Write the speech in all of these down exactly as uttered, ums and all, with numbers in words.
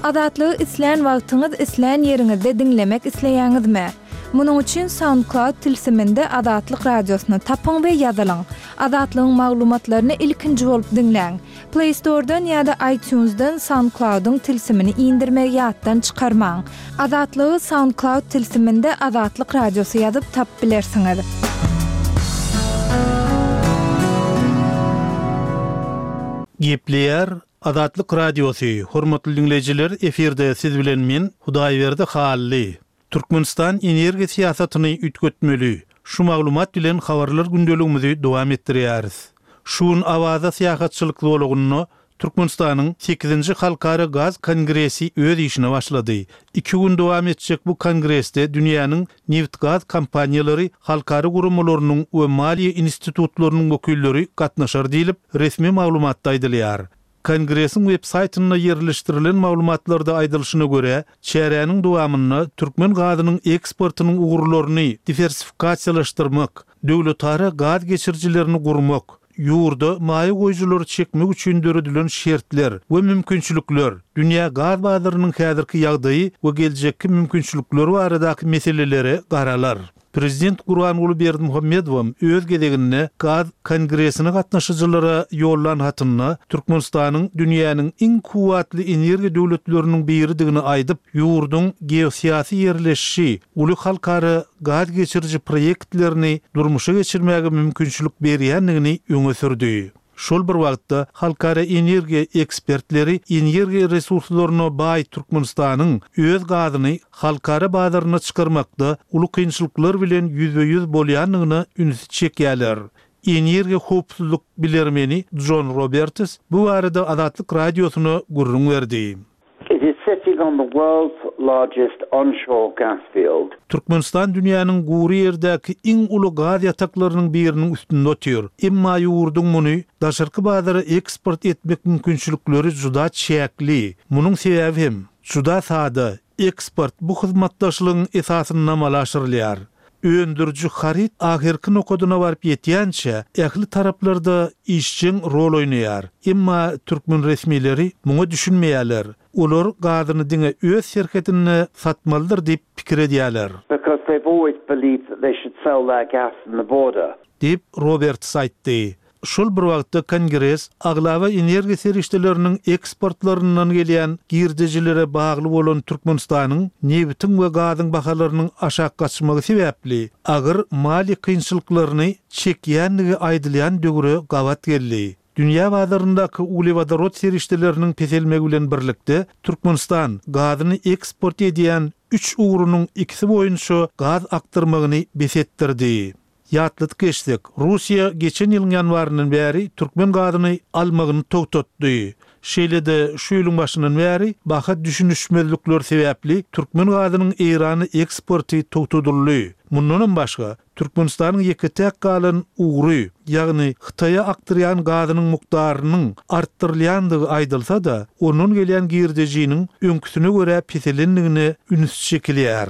Azatlygy islän wagtyňyz, islän ýeriňizde diňlemek isleýäňizmi? Munuň üçin SoundCloud tilsiminde Azatlyk radiosyny tapyň we ýazylyň. Azatlygyň maglumatlaryny ilkinji bolup diňläň. Play Store'dan ýa-da iTunes'dan SoundCloud'yň tilsimini indirmegi ýatdan çykarmaň. Azatlygy SoundCloud tilsiminde Azatlyk radiosy ýazyp tapyp bilersiňiz. Gepleýär Azatlyk radiosy, hormatly dinleýjiler, efirde siz bilen men Hudaýberdi Hally. Türkmenistan energiýa syýasatyny üýtgetmeli. Şu maglumat bilen habarlar gündeligimizi dowam etdirýäris. Şu gün Awaza syýahatçylyk zolagynda Türkmenistanyň sekizinji Halkara Gaz Kongresi öz işine başlady. Iki gün dowam etjek bu kongresde dünýäniň neft-gaz kompaniýalary, halkara guramalarynyň we maliýe institutlarynyň wekilleri gatnaşar diýlip resmi maglumatda aýdylýar. Kongresiň web saýtynda ýerleşdirilen maglumatlarda aýdylyşyna görä, çäräniň dowamynda türkmen gazynyň eksportynyň ugurlaryny diwersifikasiýalaşdyrmak, döwletara gaz geçirijilerini gurmak, ýurda maýa goýujylary çekmek üçin döredilen şertler we mümkinçilikler, dünýä gaz bazarynyň häzirki ýagdaýy we geljekki mümkinçilikleri baradaky meselelere garalar. Prezident Gurbanguly Berdimuhamedow öz gezeginde gaz kongresine gatnaşyjylara ýollan hatynda Türkmenistanyň dünýäniň iň kuwwatly energiýa döwletleriniň biridigini aýdyp, ýurduň geosyýasy ýerleşişi, uly halkara gaz geçiriji proýektlerini durmuşa geçirmäge mümkinçilik berýändigini öňe sürdi. Şol bir wagtda halkara energiýa ekspertleri energiýa resurslaryna baý Türkmenistanyň öz gazyny halkara bazaryna çykarmakda uly kynçylyklar bilen ýüzbe-ýüz bolýandygyna ünsi çekýärler. Energiýa howpsuzlyk bilermeni John Roberts bu barada Azatlyk radiosyna gürrüň berdi. It is sitting on the world's largest onshore gas field. Türkmenistan dünýäniň gury ýerdäki iň uly gaz ýataklarynyň biriniň üstünde otyr. Emma ýurduň muny daşarky bazara eksport etmek mümkinçilikleri juda çäkli. Munuň sebäbi hem juda sada. Eksport bu hyzmatdaşlygyň esasynda amala aşyrylýar. Öndüriji haryt ahyrky nokadyna baryp ýetýänçä ähli taraplarda işjeň rol oýnaýar. Emma türkmen resmileri muňa düşünmeýärler. Olar gazyny diňe öz serhetinde satmalydyr diýip pikir edýärler. Because they've always believed that they should sell their gas in the border. Diýip Roberts aýtdy. Şol bir wagtda kongres aglaba energiýa serişdeleriniň eksportlaryndan gelýän girdejilere bagly bolan Türkmenistanyň nebitiň we gazyň bahalarynyň aşak gaçmagy sebäpli agyr maliýe kynçylyklaryny çekýändigi aýdylýan döwre gabat geldi. Dünýä bazaryndaky uglewodorod serişdeleriniň peselmegi bilen birlikde Türkmenistan gazyny eksport edýän üç ugrunyň ikisi boýunça gaz akdyrmagyny bes etdirdi. Ýatladyk geçsek, Russiýa geçen ýylyň ýanwaryndan bäri türkmen gazyny almagyny togtatdy. Şeýle-de şu ýylyň başyndan bäri baha düşünişmezlikler sebäpli türkmen gazynyň Eýrana eksporty togtadyldy. Mundanam başga Türkmenistanyň ýeke-täk galan ugry, ýagny Hytaýa akdyrýan gazynyň mukdarynyň artdyrylýandygy aýdylsa-da, ondan gelýän girdejiniň öňküsine görä peselendigine üns çekilýär.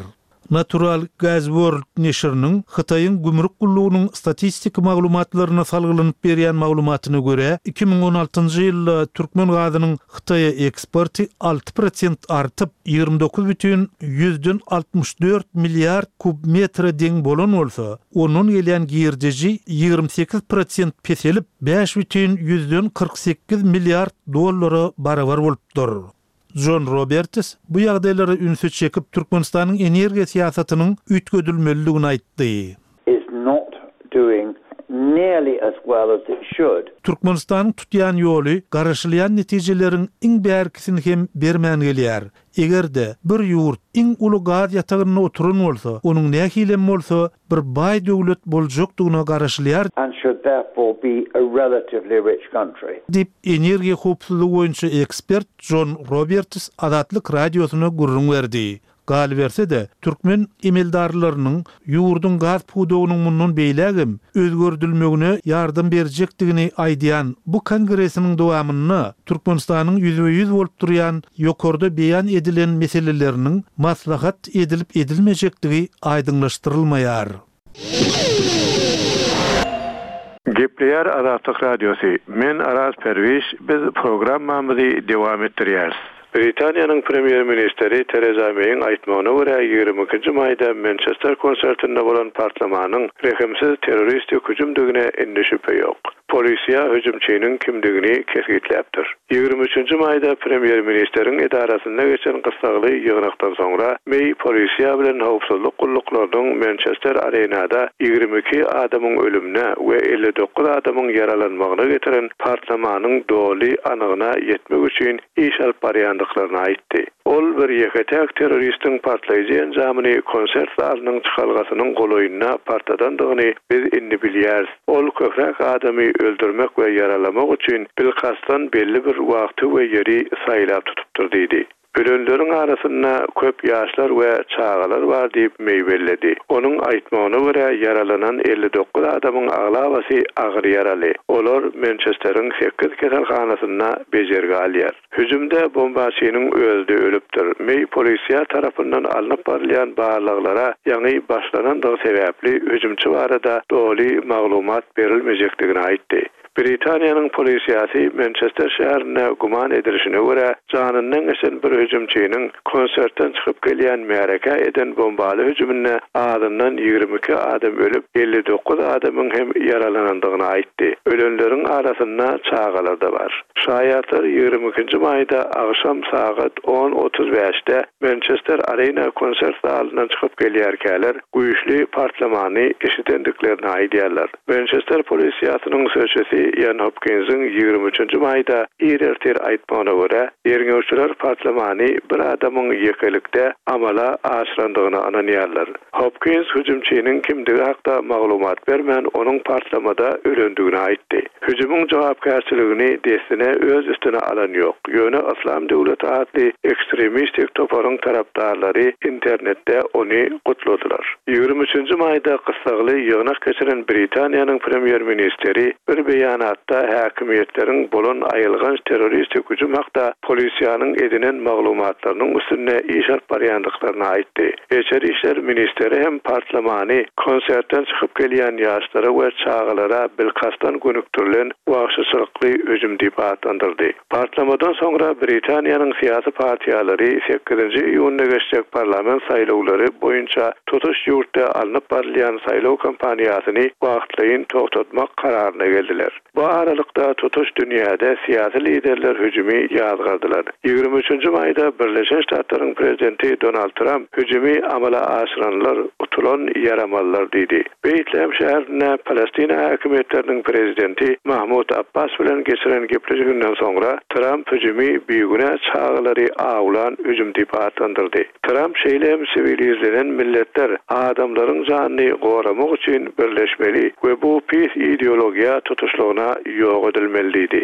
Natural Gas World neşiriniň Hytaýyň gümrük gullugynyň statistik maglumatlaryna salgylanyp berýän maglumatyna görä, iki müň on altynjy ýylda türkmen gazynyň Hytaýa eksporty alty prosent artyp, ýigrimi dokuz bütin ýüzden altmyş dört milliard kub metre deň bolan bolsa, ondan gelýän girdeji ýigrimi sekiz prosent peselip, bäş bütin ýüzden kyrk sekiz milliard dollara barabar bolupdyr. John Roberts bu ýagdaýlara ünsi çekip Türkmenistanyň energiýa syýasatynyň üýtgedilmelidigini aýtdy. Is not doing nearly as well as it should. Türkmenistanyň tutýan ýoly garaşylýan netijeleriň iň bärkisini hem bermän gelýär. Eger-de bir ýurt iň uly gaz ýatagynda oturan bolsa, onuň nähilem bolsa bir baý döwlet boljakdygyna garaşylýar. And should therefore be a relatively rich country. Diýip, energiýa howpsuzlygy boýunça ekspert John Roberts Azatlyk radiosyna gürrüň berdi. Galyberse-de, türkmen emeldarlarynyň ýurduň gaz pudagynyň mundan beýlägem özgerdilmegine ýardam berjekdigini aýdýan bu kongresiniň dowamynda Türkmenistanyň ýüzbe-ýüz bolup durýan ýokarda beýan edilen meseleleriniň maslahat edilip edilmejekdigi aýdyňlaşdyrylmaýar. Gepleýär Gepleýär Azatlyk Radiosy. Men Araz Perwiş, biz programmamyzy dowam etdirýäris. Britaniýanyň premýer-ministri Tereza Meýiň aýtmagyna görä ýigrimi ikinji maýda Mançester konsertinde bolan partlamanyň rehimsiz terroristik hüjümdigine indi şübhe ýok. Polisiýa hüjümçiniň kimdigini kesgitläpdir. Ýigrimi üçünji maýda premýer-ministriň edarasynda geçen gyssagly ýygnakdan soňra Meý polisiýa bilen howpsuzlyk gulluklarynyň Mançester Arenada ýigrimi iki adamyň ölümine we elli dokuz adamyň ýaralanmagyna getiren partlamanyň doly anygyna ýetmek üçin iş alyp barýandyklaryny aýtdy. Ol bir ýeke-täk terroristiň partlaýjy enjamyny konsert zalynyň çykalgasynyň golaýynda partladandygyny biz indi bilýäris. Ol köpräk adamy öldürmek we ýaralamak üçin bilkastdan belli bir wagty we ýeri saýlap tutupdyr diýdi. Ölenleriň arasynda köp ýaşlar we çagalar bar diýip Meý belledi. Onuň aýtmagyna görä ýaralanan elli dokuz adamyň aglabasy agyr ýaraly. Olar Mançesteriň sekiz keselhanasynda bejergi alýar. Hüjümde bombaçynyň özi ölüpdir. Meý polisiýa tarapyndan alnyp barylýan barlaglara ýaňy başlanandygy sebäpli hüjümçi barada doly maglumat berilmejekdigini aýtdy. Britaniýanyň polisiýasy Mançester şäherinde güman edilişine görä janyndan geçen bir hüjümçiniň konsertden çykyp gelýän märeke eden bombaly hüjüminde azyndan ýigrimi iki adam ölüp, elli dokuz adamyň hem ýaralanandygyny aýtdy. Ölenleriň arasynda çagalar da bar. Şaýatlar ýigrimi ikinji maýda agşam sagat on otuz bäşde Mançester Arena konsert zalyndan çykyp gelýärkäler güýçli partlamany eşidendiklerini aýdýarlar. Mançester polisiýasynyň sözçüsi Ian Hopkinsiň ýigrimi üçünji maýda ir ertir aýtmagyna görä, derňewçiler partlamany bir adamyň ýekelikde amala aşyrandygyna ynanýarlar. Hopkins hüjümçiniň kimdigi hakda maglumat bermän, onuň partlamada ölendigini aýtdy. Hüjümiň jogapkärçiligini dessine öz üstüne alan ýok. Ýöne Islam döwleti atly ekstremistik toparyň tarapdarlary internetde ony gutladylar. Ýigrimi üçünji maýda gyssagly ýygnak geçiren Britaniýanyň premýer-ministri bir beýanatda häkimiýetleriň bolan aýylganç terroristik hüjüm hakda polisiýanyň edinen maglumatlarynyň üstünde iş alyp barýandyklaryny aýtdy. Içeri işler ministeri hem partlamany konsertden çykyp gelýän ýaşlara we çagalara bilkastdan gönükdirilen wagşyçylykly hüjüm diýip atlandyrdy. Partlamadan soňra Britaniýanyň syýasy partiýalary sekizinji iýunda geçjek parlament saýlawlary boýunça tutuş ýurtda alnyp barylýan saýlaw kampaniýasyny wagtlaýyn toxtatmak kararyna geldiler. Bu aralykda tutuş dünýäde syýasy liderler hüjümi ýazgardylar. Ýigrimi üçünji maýda Birleşen Ştatlaryň prezidenti Donald Trump hüjümi amala aşyranlar utulan ýaramalylar diýdi. Beýtlehem şäherinde Palestina häkimiýetleriniň prezidenti Mahmud Abbas bilen geçiren gepleşiginden soňra Trump hüjümi bigünä çagalary awlan hüjüm diýip atlandyrdy. Trump şeýle hem siwilizlenen milletler adamlaryň janyny goramak üçin birleşmeli we bu pis ideologiýa tutuşlygyna ýok edilmeli diýdi.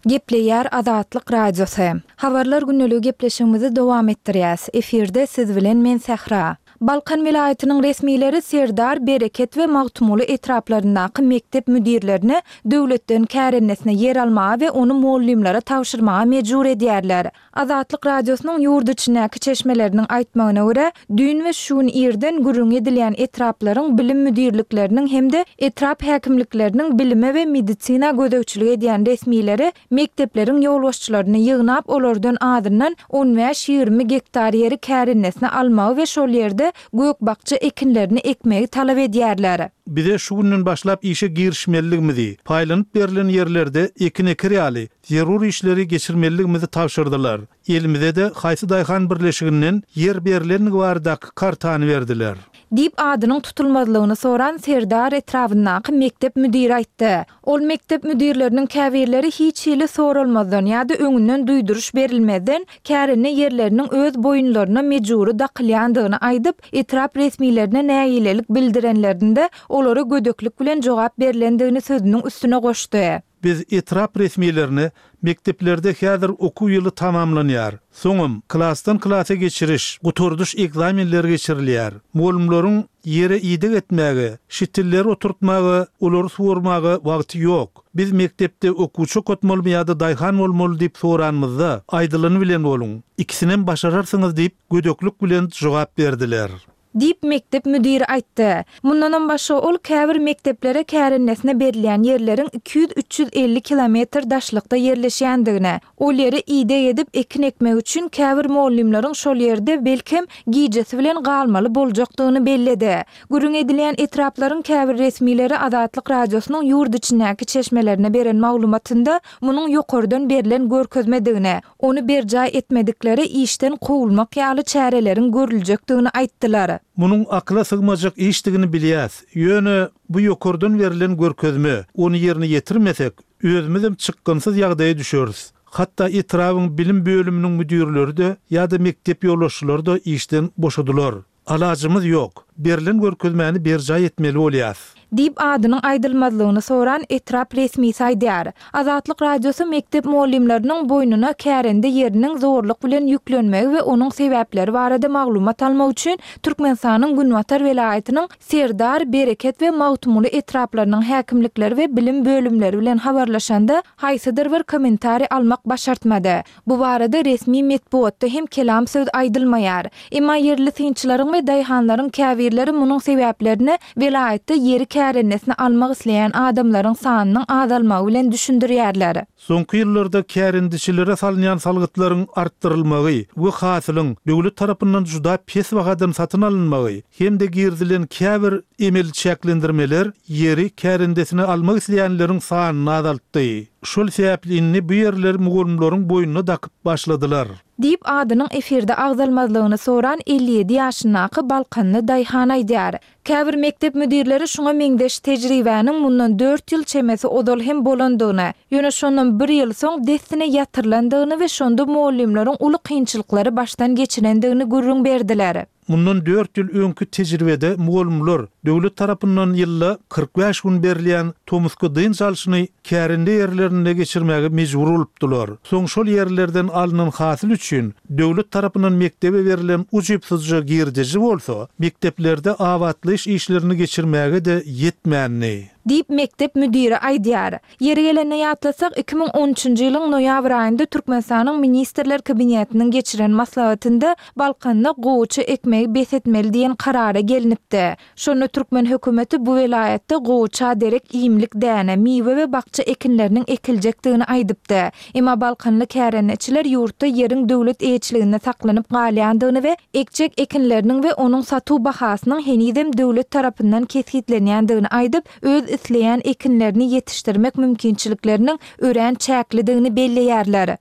Gepleýär Azatlyk Radiosy. Habarlar günlügi gepleşigimizi dowam etdirýäs. Efirde siz bilen men Sähra. Balkan welaýatynyň resmileri Serdar, Bereket we Magtymguly etraplaryndaky mekdep müdirlerine döwletden kärennesine ýer almaga we ony muallimlere tabşyrmaga mejbur edýärler. Azatlyk Radiosynyň ýurt içindäki çeşmeleriniň aýtmagyna görä, düýn we şu gün irden gürrüň edilýän etraplaryň bilim müdirlikleriniň hem-de etrap häkimlikleriniň bilime we medisina gözegçilik edýän resmileri mekdepleriň ýolbaşçylaryny ýygnap, olardan azyndan on bäş-ýigrimi gektar ýeri kärennesine almagy we şol ýerde gök-bakja ekinlerini ekmegi talap edýärler. Bize şu günden başlap işe girişmeliligimizi, paýlanyp berlen ýerlerde ekin eker ýaly zerur işleri geçirmeliligimizi tabşyrdylar. Elimize de haýsy daýhan birleşiginden ýer berlenligi baradaky kartany berdiler. Diýip adynyň tutulmazlygyny soran Serdar etrabyndaky mekdep müdiri aýtdy. Ol mekdep müdirleriniň käbirleri hiç hili soralmazdan ýa-da öňünden duýduryş berilmezden kärende ýerleriniň öz boýunlaryna mejbury dakylýandygyny aýdyp, etrap resmilerine nägilelik bildirenlerinde olara gödeklik bilen jogap berlendigini sözüniň üstüne goşdy. Biz etrap resmilerine mekdeplerde häzir okuw ýyly tamamlanýar. Soňam klasdan klasa geçiriş, gutardyş ekzamenleri geçirilýär. Muallimleriň ýere ideg etmäge, şitilleri oturtmaga, olary suwarmaga wagty ýok. Biz mekdepde okuwçy okatmalymy ýa-da daýhan bolmaly diýip soranymyzda, aýdylany bilen boluň. Ikisinem başararsyňyz diýip gödeklik bilen jogap berdiler. Diýip, mekdep müdiri aýtdy. Mundanam başga, ol käbir mekdeplere kärendesine berilýän ýerleriň iki ýüz-üç ýüz elli kilometr daşlykda ýerleşýändigini, ol ýere ideg edip, ekin ekmek üçin käbir mugallymlaryň şol ýerde, belkem, gijesi bilen galmaly boljakdygyny belledi. Gürrüň edilýän etraplaryň käbir resmileri Azatlyk Radiosynyň ýurt içindäki çeşmelerine beren maglumatynda munuň ýokardan berlen görkezmedigini, Ony berjaý etmediklere işden kowulmak ýaly çäreleriň görüljekdigini aýtdylar. Munuň akyla sygmajak işdigini bilýäs. Ýöne bu ýokardan berlen görkezme, ony ýerine ýetirmesek, özümizem çykgynsyz ýagdaýa düşeris. Hatda etrabyň bilim bölüminiň müdirleri-de ýa-da mekdep ýolbaşçylary-da işden boşadylar. Alajymyz ýok. Berlen görkezmäni berjaý etmeli bolýas. Diýip, adynyň aýdylmazlygyny soran etrap resmisi aýdýar. Azatlyk Radiosy mekdep mugallymlarynyň boýnuna kärende ýeriniň zorluk bilen ýüklenmegi we onuň sebäpleri barada maglumat almak üçin Türkmenistanyň günbatar welaýatynyň Serdar, Bereket we Magtymguly etraplarynyň häkimlikleri we bilim bölümleri bilen habarlaşanda, haýsydyr bir kommentariý almak başartmady. Bu barada resmi metbugatda hem kelam söz aýdylmaýar. Emma ýerli synçylaryň we daýhanlaryň käbirleri munuň sebäplerini welaýatda ýeri kärendesine almak isleýän adamlaryň sanynyň azalmagy bilen düşündirýärler. Soňky ýyllarda kärendeçilere salynýan salgytlaryň artdyrylmagy we hasylyň döwlet tarapyndan juda pes bahadan satyn alynmagy hem-de girizilen käbir emeli çäklendirmeler ýeri kärendesine almak isleýänleriň sanyny azaltdy. Şol sebäpli indi bu ýerleri mugallymlaryň boýnuna dakyp başladylar. Diýip, adynyň efirde agzalmazlygyny soran elli ýedi ýaşyndaky balkanly daýhan aýdýar. Käbir mekdep müdirleri şuňa meňzeş tejribäniň mundan dört ýyl çemesi ozal hem bolandygyny, ýöne şondan bir ýyl soň dessine ýatyrylandygyny we şonda mugallymlaryň uly kynçylyklary başdan geçirendigini gürrüň berdiler. Mundan dört ýyl öňki tejribede mugallymlar döwlet tarapyndan ýylda kyrk bäş gün berilýän tomusky dynç alşyny kärende ýerlerinde geçirmäge mejbur bolupdylar. Soň şol ýerlerden alnan hasyl üçin döwlet tarapyndan mekdebe berlen ujypsyzja girdeji bolsa, mekdeplerde abatlaýyş işlerini geçirmäge-de ýetmändi. Diýip, mekdep müdiri aýdýar. Ýeri gelende ýatlasak, iki müň on üçünji ýylyň noýabr aýynda Türkmenistanyň Ministrler Kabinetiniň geçiren maslahatynda Balkanda gowaça ekmegi bes etmeli diýen karara gelnipdi. Şonda türkmen hökümeti bu welaýatda gowaça derek iýmlik däne, miwe we bakja ekinleriniň ekiljekdigini aýdypdy. Emma balkanly kärendeçiler ýurtda ýeriň döwlet eýeçiliginde saklanyp galýandygyny we ekjek ekinleriniň we onuň satuw bahasynyň henizem döwlet tarapyndan kesgitlenýändigini aýdyp, öz isleýän ekinlerini ýetişdirmek mümkinçilikleriniň örän çäklidigini belleýärler.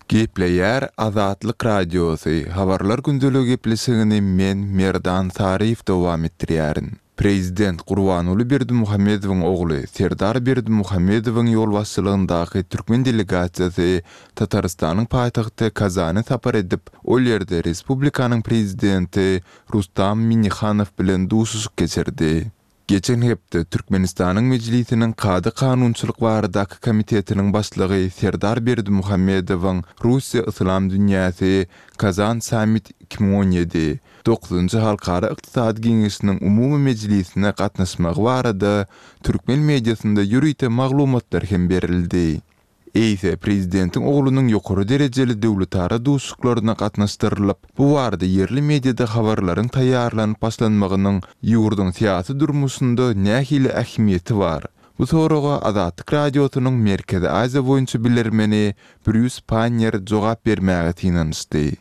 Gepleýär Azatlyk Radiosy, Habarlar gündeligi gepleşigini men, Merdan Saryýew dowam etdirýärin. Prezident Gurbanguly Berdimuhamedowyň ogly Serdar Berdimuhamedowyň ýolbaşçylygyndaky türkmen delegasiýasy Tatarystanyň paýtagty Kazana sapar edip, ol ýerde respublikanyň Prezidenti Rustam Minnihanow bilen duşuşyk geçirdi. Geçen hepde Türkmenistanyň Mejlisiniň Kada-kanunçylyk baradaky komitetiniň başlygy Serdar Berdimuhamedowyň Russiýa-Yslam dünýäsi, Kazan sammit iki müň on ýedi, dokuzynjy Halkara ykdysady geňeşiniň umumy mejlisine gatnaşmagy barada türkmen mediasynda ýörite maglumatlar hem berildi. Eýse, prezidentiň oglunyň ýokary derejeli döwletara duşuşyklaryna gatnaşdyrylyp, bu barada ýerli mediada habarlaryň taýýarlanyp başlanmagynyň ýurduň syýasy durmuşynda nähili ähmiýeti bar? Bu soraga Azatlyk Radiosynyň Merkezi Aziýa boýunça bilermeni Brýus Pannier jogap bermäge synanyşdy.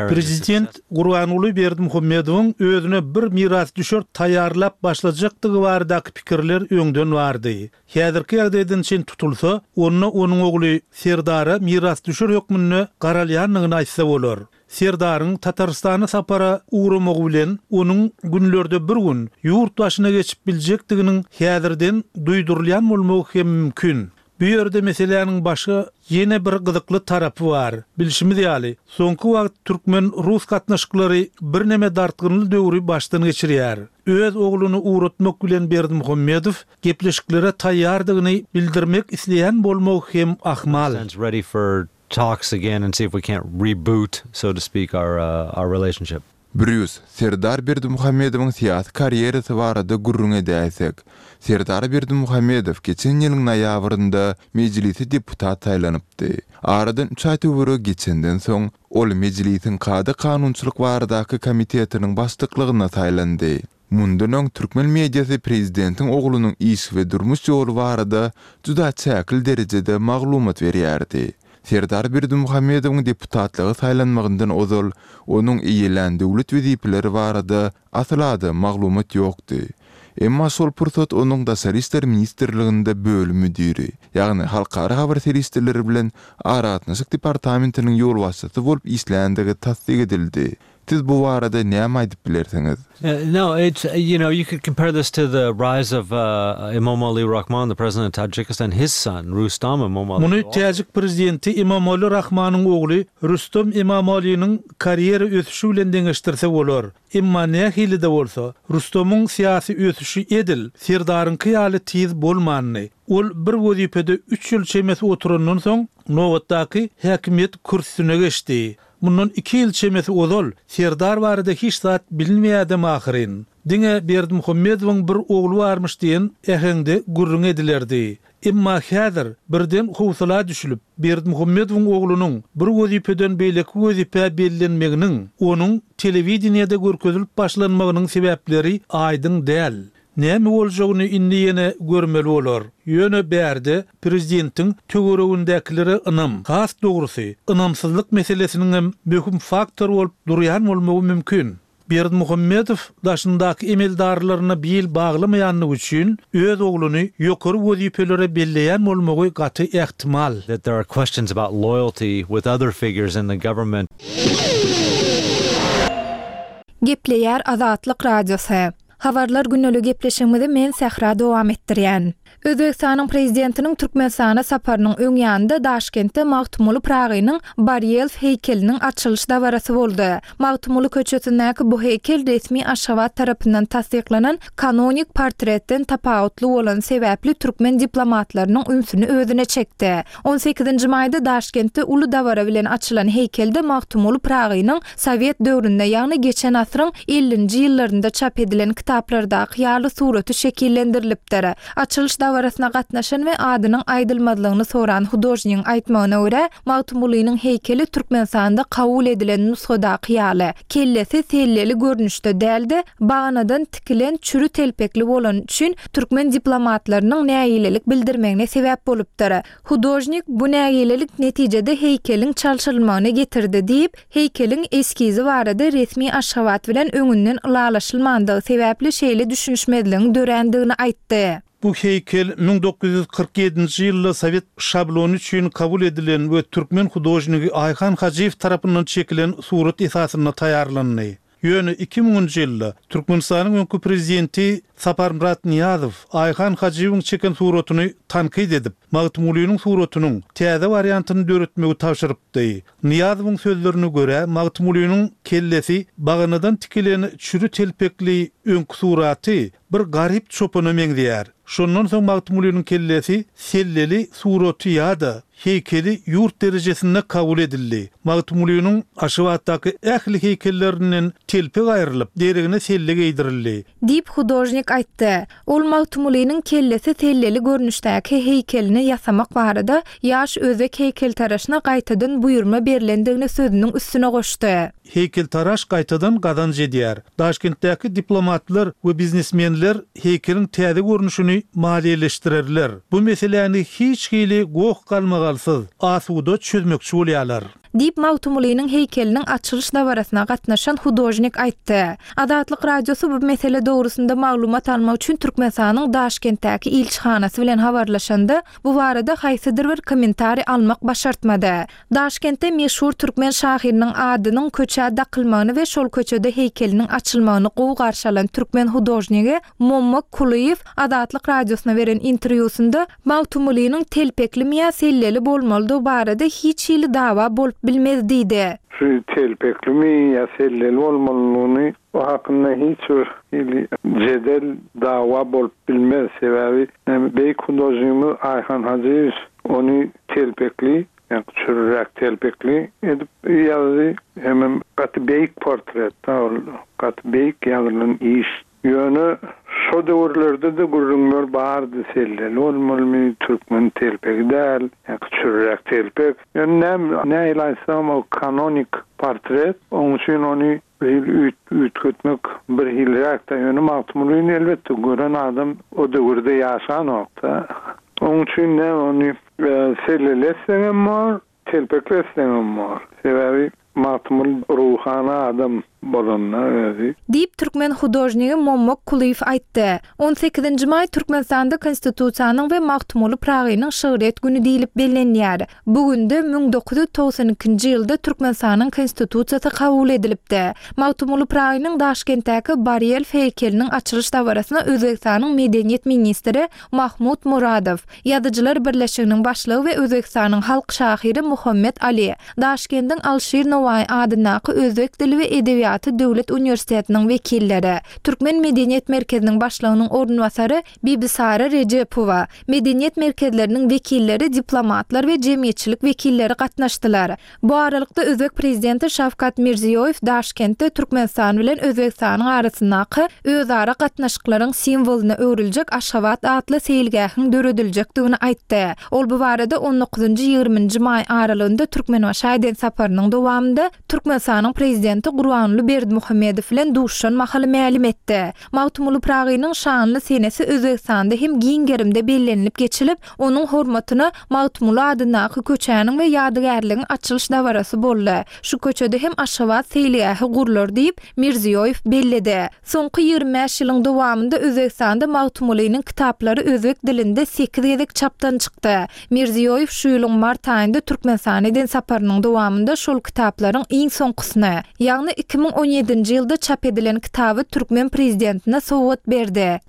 Prezident Gurbanguly Berdimuhamedowyň özüne bir mirasdüşer taýýarlap başlajakdygy baradaky pikirler öňden bardy. Häzirki ýagdaýdan çen tutulsa, onda onuň ogly Serdara mirasdüşer hökmünde garalýandygyny aýtsa bolar. Serdaryň Tatarystana sapara ugramagy bilen onuň günlerde bir gün ýurt başyna geçip biljekdiginiň häzirden duýdurylýan bolmagy hem mümkin. Bu ýerde meseläniň başga ýene bir gyzykly tarapy bar. Bilşimiz ýaly, soňky wagt türkmen-rus gatnaşyklary birneme dartgynly döwri başdan geçirýär. Öz ogluny ugratmak bilen Berdimuhamedow gepleşiklere taýýardygyny bildirmek isleýän bolmagy hem ahmal. talks again and see if we can't reboot, so to speak, our, uh, our relationship. Brýus, Serdar Berdimuhamedowyň syýasy karýerasy barada gürrüň edäýsek. Serdar Berdimuhamedow geçen ýylyň noýabrynda Mejlise deputat saýlanypdy. Aradan üç aý töweregi geçenden soň, ol Mejlisiň kada-kanunçylyk baradaky komitetiniň başlyklygyna saýlandy. Mundan öň türkmen mediasy prezidentiň oglunyň iş we durmuş ýoly barada juda çäkli derejede maglumat berýärdi. Serdar Berdimuhamedowyň deputatlyga saýlanmagyndan ozal onuň eýelän döwlet wezipeleri barada asla-da maglumat ýokdy. Emma şol pursat onuň Daşary işler ministrliginde bölüm müdiri, ýagny Halkara habar serişdeleri bilen aragatnaşyk departamentiniň ýolbaşçysy bolup işländigi tassyk edildi. Siz bu barada näme aýdyp bilersiňiz? Uh, no, it's you know you could compare this to the rise of uh, Emomali Rahmon, the president of Tajikistan, his son Rustam Emomali. Muny Täjik prezidenti Emomali Rahmanyň ogly Rustam Emomaliniň karýera ösüşi bilen deňeşdirse bolar. Emma nähili-de bolsa, Rustamyň syýasy ösüşi edil Serdaryňky ýaly tiz bolmandy. Ol bir wezipede üç ýyl çemesi oturandan soň nobatdaky häkimiýet kürsüsine geçdi. Mundan iki ýyl çemesi ozal Serdar barada hiç zat bilinmeýärdem ahyryn. Diňe Berdimuhamedowyň bir ogly barmyş diýen äheňde gürrüň edilerdi. Emma häzir birden howsala düşülip, Berdimuhamedowyň oglunyň bir wezipeden beýleki wezipä bellenmeginiň, onuň telewideniýede görkezilip başlanmagynyň sebäpleri aýdyň däl. Näme boljagyny indi ýene görmeli bolar. Ýöne bärde prezidentiň töweregindäkilere ynam, has dogrusy, ynamsyzlyk meselesiniň hem möhüm faktor bolup durýan bolmagy mümkin. Berdimuhamedow daşyndaky emeldarlaryna bil baglamaýanlygy üçin öz ogluny ýokary wezipelere belleýän bolmagy gaty ähtimal. That there are questions about loyalty with other figures in the government. Gepleýär Azatlyk Radiosy. Habarlar gündelik gepleşigimizi men Sähra dowam etdirýän. Özbegistanyň prezidentiniň Türkmenistana saparynyň öň ýanynda Daşkentde Magtymguly Pyragynyň barelýef heýkeliniň açylyş dabarasy boldy. Magtymguly köçesindäki bu heýkel resmi Aşgabat tarapyndan tassyklanan kanonik portretden tapawutly bolan sebäpli türkmen diplomatlarynyň ünsüni özüne çekdi. On sekizinji maýda Daşkentde uly dabara bilen açylan heýkelde Magtymguly Pyragynyň Sowet döwründe, ýagny geçen asyryň ellinji ýyllarynda çap edilen kitaplardaky ýaly suraty şekillendirilipdir. Açylyş dabarasyna gatnaşan we adynyň aýdylmazlygyny soran hudožnigiň aýtmagyna görä, Magtymgulynyň heýkeli Türkmenistanda kabul edilen nusgadaky ýaly, kellesi selleli görnüşde däl-de, baganadan tikilen çüri telpekli bolany üçin türkmen diplomatlarynyň nägilelik bildirmegine sebäp bolupdyr. Hudožnik bu nägilelik netijede heýkeliň çalşyrylmagyna getirdi diýip, heýkeliň eskizi barada resmi Aşgabat bilen öňünden ylalaşylmandygy sebäpli şeýle düşünişmezligiň dörändigini aýtdy. Bu heýkel müň dokuz ýüz kyrk ýedinji ýylda sowet şablony üçin kabul edilen we türkmen hudožnigi Aýhan Hajyýew tarapyndan çekilen surat esasynda taýýarlandy. Ýöne iki müňünji ýylda Türkmenistanyň öňki prezidenti Saparmyrat Nyýazow Aýhan Hajyýewiň çeken suratyny tankyt edip, Magtymgulynyň suratynyň täze wariantyny döretmegi tabşyrypdy. Nyýazowyň sözlerine görä, Magtymgulynyň kellesi baganadan tikilen çüri telpekli öňki suraty bir garyp çopana meňzeýär. Şondan soň Magtymgulynyň kellesi selleli suraty ýa-da heýkeli ýurt derejesinde kabul edildi. Magtymgulynyň Aşgabatdaky ähli heýkellerinden telpek aýrylyp, deregine selle geýdirildi. Diýip, hudožnik aýtdy. Ol Magtymgulynyň kellesi selleli görnüşdäki heýkelini ýasamak barada ýaş özbek heýkeltaraşyna gaýtadan buýurma berlendigini sözüniň üstüne goşdy. Heýkeltaraş gaýtadan gazanç edýär. Daşkentdäki diplomatlar we biznesmenler heýkeliň täze görnüşini maliýeleşdirerler. Bu meseläni hiç hili goh-galmagalsyz, asuda çözmekçi bolýarlar. Diýip, Magtymgulynyň heýkeliniň açylyş dabarasyna gatnaşan hudožnik aýtdy. Azatlyk Radiosy bu mesele dogrusynda maglumat almak üçin Türkmenistanyň Daşkentdäki ilçihanasy bilen habarlaşanda, bu barada haýsydyr bir kommentariý almak başartmady. Daşkentde meşhur türkmen şahyrynyň adynyň köçä dakylmagyny we şol köçede heýkeliniň açylmagyny gowy garşy alan türkmen hudožnigi Mommak Kulyýew Azatlyk Radiosyna beren interwýusynda Magtymgulynyň telpeklimi ýa selleli bolmalydygy barada hiç hili dawa bolup bilmez diýdi. Şu telpeklimi ýa selleli bolmalydygyny o hakynda hiç bir hili jedel dawa bolup bilmez. Sebäbi näme beýik hudožnigimiz Aýhan Hajyýew ony telpekli Ýa çürräk telpekli edip ýazdy. Hemem gaty beýik portret, ol gaty beýik ýazylan iş. Ýöne şo döwürlerde-de gürrüňler bardy, selleli bolmalymy, türkmen telpegi däl, ýa çürräk telpek. Ýöne näme, nähili aýtsam, o kanonik portret, oň üçin ony bir hil üýtgetmek bir hilräk-de. Ýöne Magtymgulyny elbetde gören adam o döwürde ýaşanokda. Oň üçin näme ony selleleseňem bor, telpekleseňem bor. Sebäbi Magtymguly ruhana adam bolanda özi. Diýip türkmen hudožnigi Mommak Kulyýew aýtdy. On sekizinji maý Türkmenistanda Konstitusiýanyň we Magtymguly Pyragynyň şygryýet güni diýlip bellenýär. Bu günde müň dokuz ýüz togsan ikinji ýylda Türkmenistanyň Konstitusiýasy kabul edilipdi. Magtymguly Pyragynyň Daşkentdäki barelýef heýkeliniň açylyş dabarasyna Özbegistanyň medeniýet ministri Mahmud Muradow, Ýazyjylar birleşiginiň başlygy we Özbegistanyň halk şahyry Muhammet Ali, Daşkendiň Alşir Nowaýy adyndaky özbek dili we edebiýaty döwlet uniwersitetiniň wekilleri, Türkmen medeniýet merkeziniň başlygynyň orunbasary Bibisara Rejepowa, medeniýet merkezleriniň wekilleri, diplomatlar we jemgyýetçilik wekilleri gatnaşdylar. Bu aralykda özbek prezidenti Şawkat Mirziýoýew Daşkentde Türkmenistan bilen Özbegistanyň arasyndaky özara gatnaşyklaryň simwolyna öwrüljek Aşgabat atly seýilgähiň dörediljekdigini aýtdy. Ol bu barada on dokuzynjy-ýigriminji maý aralygynda Türkmenbaşa eden saparynyň dowamynda Türkmenistanyň prezidenti Gurbanguly Berdimuhamedow bilen duşuşan mahaly mälim etdi. Magtymguly Pyragynyň şanly senesi Özbegistanda hem giň gerimde bellenilip geçilip, onuň hormatyna Magtymguly adyndaky köçäniň we ýadygärligiň açylyş dabarasy boldy. Şu köçede hem Aşgabat seýilgähi gurlar diýip, Mirziýoýew belledi. Soňky ýigrimi bäş ýylyň dowamynda Özbegistanda Magtymgulynyň kitaplary özbek dilinde sekiz gezek çapdan çykdy. Mirziýoýew şu ýylyň mart aýynda Türkmenistana eden saparynyň dowamynda şol kitaplaryň iň soňkusyny, ýagny iki müň on ýedinji ýylda çap edilen kitaby türkmen prezidentine sowgat berdi.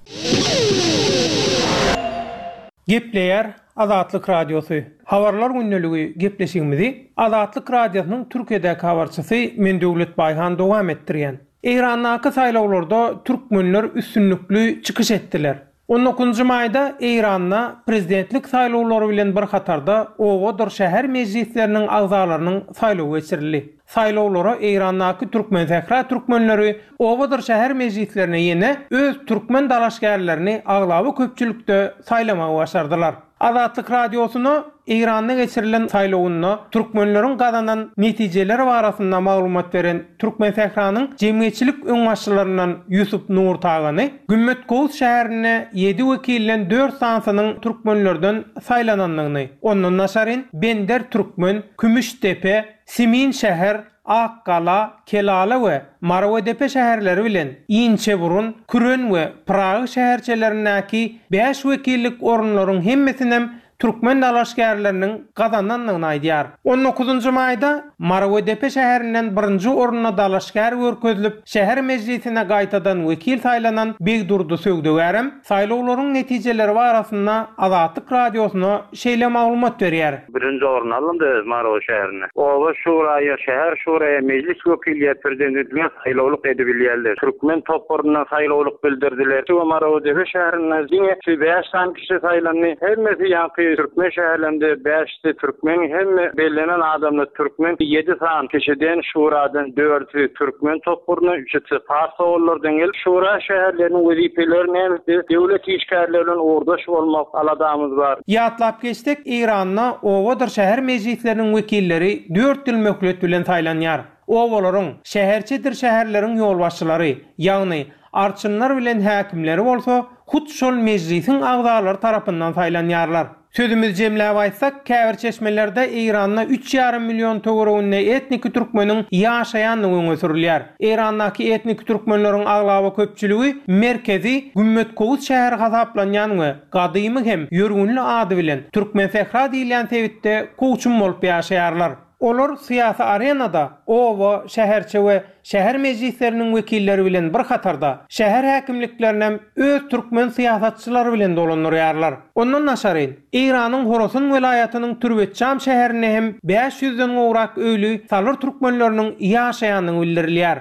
Gepleýär Azatlyk Radiosy. Habarlar gündeligi gepleşigimizi Azatlyk Radiosynyň Türkiýedäki habarçysy men Döwlet Baýhan dowam etdirýän. Eýrandaky saýlawlarda türkmenler üstünlikli çykyş etdiler. On dokuzynjy maýda Eýranda prezidentlik saýlawlary bilen bir hatarda obadyr şäher mejlisleriniň agzalarynyň saýlawy geçirildi. Saýlawlara Eýrandaky türkmen sähra türkmenleri obadyr şäher mejlislerine ýene öz türkmen dalaşgärlerini aglaba köpçülikde saýlamagy başardylar. Azatlyk Radiosyna Eýranda geçirilen saýlawynda türkmenleriň gazanan netijeleri barasynda maglumat beren Türkmen sähranyň jemgyýetçilik öňbaşçylaryndan Ýusup Nurtagany Gümmet Kowus şäherinde ýedi wekilden dört sanysynyň türkmenlerden saýlanandygyny, ondan daşaryn Bender Türkmen, Kümüşdepe, Simin şäher, Akgala, Kelala we Marwedepe şäherleri bilen Inçeburun, Küren we Pyragy şäherçelerindäki bäş wekillik orunlaryň hemmesinem türkmen dalaşgärleriniň gazanandygyny aýdýar. On dokuzynjy maýda Marwedepe şäherinden birinji orunda dalaşgär görkezilip, şäher mejlisine gaýtadan wekil saýlanan Begdurdy Söwdegärem saýlawlaryň netijeleri barasynda Azatlyk Radiosyna şeýle maglumat berýär. Birinji orun alyndy Marwe şäherinde. Oba şuraýa, şäher şuraýa, mejlis wekiliýe prezidentlige saýlawlyk edibilýärler. Türkmen toparyndan saýlawlyk bildirdiler. Şu Marwedepe şäherinde diňe şu bäş sany kişi saýlandy. Hemmesi ýaňky türkmen şäherlerinde bäşsi türkmen, hemme bellenen adamlar türkmen, ýedi sany kişiden şuradan dördü türkmen toparyna, üçüsi pars oğullardan gelip, şura şäherleriniň wezipeleri näme? Döwlet işgärleri bilen uğurdaş bolmak aladamyz bar. Ýatlap geçsek, Eýranda obadyr şäher mejlisleriniň wekilleri dört ýyl möhlet bilen saýlanýar. Obalaryň, şäherçedir şäherleriň ýolbaşçylary, ýagny arçynlar bilen häkimleri bolsa hut şol mejlisiň agzalary tarapyndan saýlanýarlar. Sözümiz jemläp aýtsak, käbir çeşmelerde Eýranda üç ýarym million töwereginde etniki türkmeniň ýaşaýandygy öňe sürülýär. Eýrandaky etniki türkmenleriň aglaba köpçüligi merkezi Gümmet Kowus şäheri hasaplanýan we gadymy hem ýörgünli ady bilen Türkmen sähra diýilýän sebitde kowçum bolup ýaşaýarlar. Olar syýasy arenada oba, şäherçe we şäher mejlisleriniň wekilleri bilen bir hatarda şäher häkimliklerinem öz türkmen syýasatçylary bilen dolandyrýarlar. Ondan daşaryn, Eýranyň Horasan welaýatynyň Türbetjam şäherinde hem bäş ýüzden gowrak öýli salyr türkmenleriniň ýaşaýandygy bildirilýär.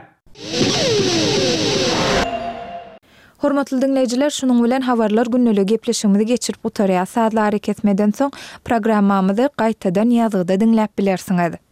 Hormatly diňleýjiler, şunuň bilen habarlar gündeligi gepleşigimizi geçirip gutarýas. Sazly arakesmeden soň programmamyzy gaýtadan ýazgyda diňläp bilersiňiz.